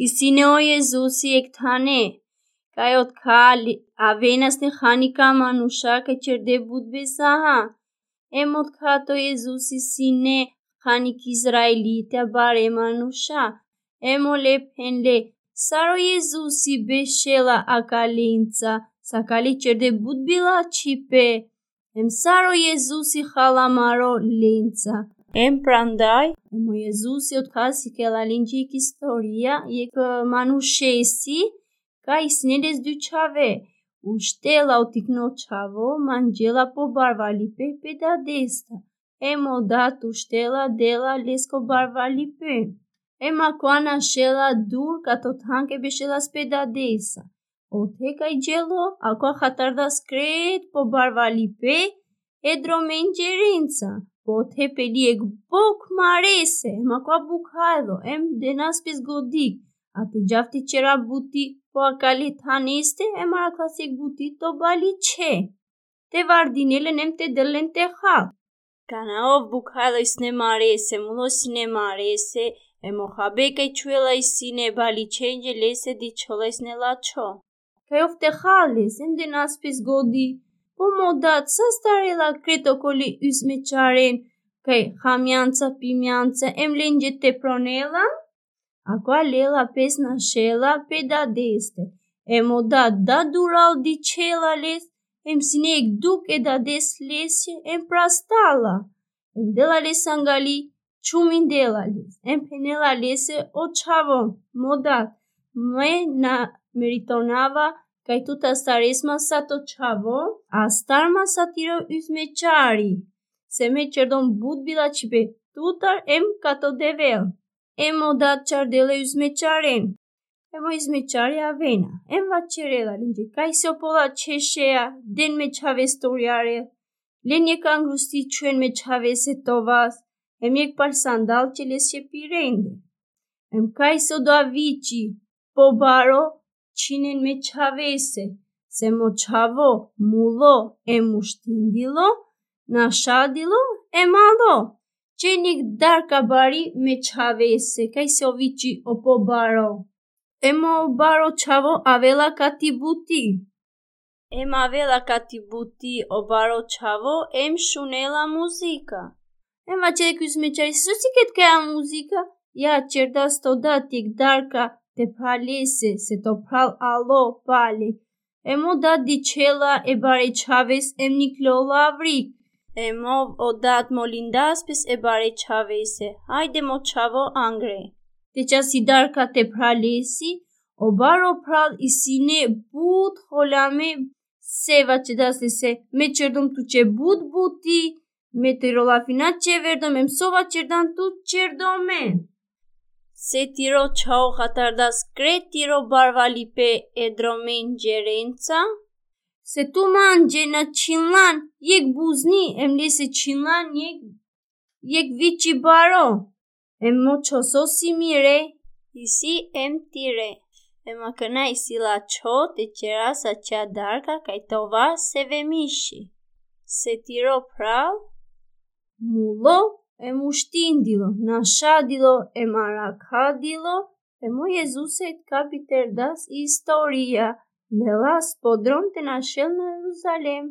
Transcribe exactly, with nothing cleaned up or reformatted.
Isi ine o Jezusi jekh thane, kaj otkha le-, avena sine hani ka manuša kaj čerde but bezaha. Em otkha to Jezusi sine hani ki Izraelitija, bare manuša. Em ole phenle, sar o Jezusi bešela akalenca, sa akale čerde but bilačhipe. Em sar o Jezusi hala amaro lenca. Em prandaj, em o Jezusi otkha sikela lenđe jekh istorija, jekh, e, manušesi, kaj sine les du čhave. Uštela o tikno čhavo, manđela po barvalipe pe dadesta. Em o dad uštela, dela leske o barvalipe. Em akava našela dur, kato than kaj bešela pe dadesa. Ote kaj đelo, akava hatarda skret po barvalipe, e dromen đerenca. Pote peli jekh bokh marese, em akava bukhajlo, em denas pes godi. A te džav te čera buti po akale thaneste, em arakhlja jekh buti to baliče. Te vardinel len em te del len te hal. Kana ov bukhajlo sine marese, mulo sine marese, em o habe kaj čhuela sine baličenđe, lese dičhola sine lačho. Kaj ov te hal les, em denas pes godi. Po mo dad, sa starela kret okoli usmećaren, kaj hamjanca, pimjanca, em lenđe te pronela? Akava lela pes našela pe dadeste. Em o dad, dad dural dičhela les, em sine jekh dukh e dades lese, em prastala. Em dela lese angali, čumindela les. Em phenela lese o čhavo: Mo dad, me na meritonava kaj tu te astares ma sa to čhavo, astar ma sa tiro usmećari. Se me čerdom but bilačhipe tutar em ka to Devel. Em o dad čardela e usmećaren. Em o usmećari avena. Em vaćerela lenđe: Kaj si o pola češea, den me čhaves te urjarel. Len jekh angrusti, čhuven me čhavese to vas, em jekh pal sandalče lese pirende. Em kaj si odova viči: Pobaro, čhinen me čhavese. Se mo čhavo mulo, em uštindilo, našadilo, em alo. Čhen jekh darka bari me čhavese, kaj si o viči o pobaro. Em o baro čhavo avela kati buti. Em avela kati buti o baro čhavo, em šunela muzika. Em vaćerela e usmećarese: So sikeri tkaja muzika? Ja čerdas to dad jekh darka te phralese, se to phral alo pale. Em o dad dičhela e bare čhaves, em nikljola avrik. Em o dad molindas pes e bare čhavese: Ajde, mo čhavo, angre. Te čas i darka te phralesi. O baro phral i sine but holame, se vaćerdas lese: Me čerdom tuće but buti, me tiro lafina čeverdom, em so vaćerdan tu čerdomen. Se tiro čhavo hatarda skret tiro barvalipe e dromen đerenca. Se tu manđe na čhinlan jekh buzni, em lese čhinlan jekh, jekh viči baro: Em mo čho, so si mire? Isi em tire. Em akana isi lačho te čera sa čadarka kaj to vas se vemiši. Se tiro phral mulo, em uštindilo, našadilo, em arakhadilo, em o Jezuse ka biterdas i istorija, lela po drom te našel na Jeruzalem.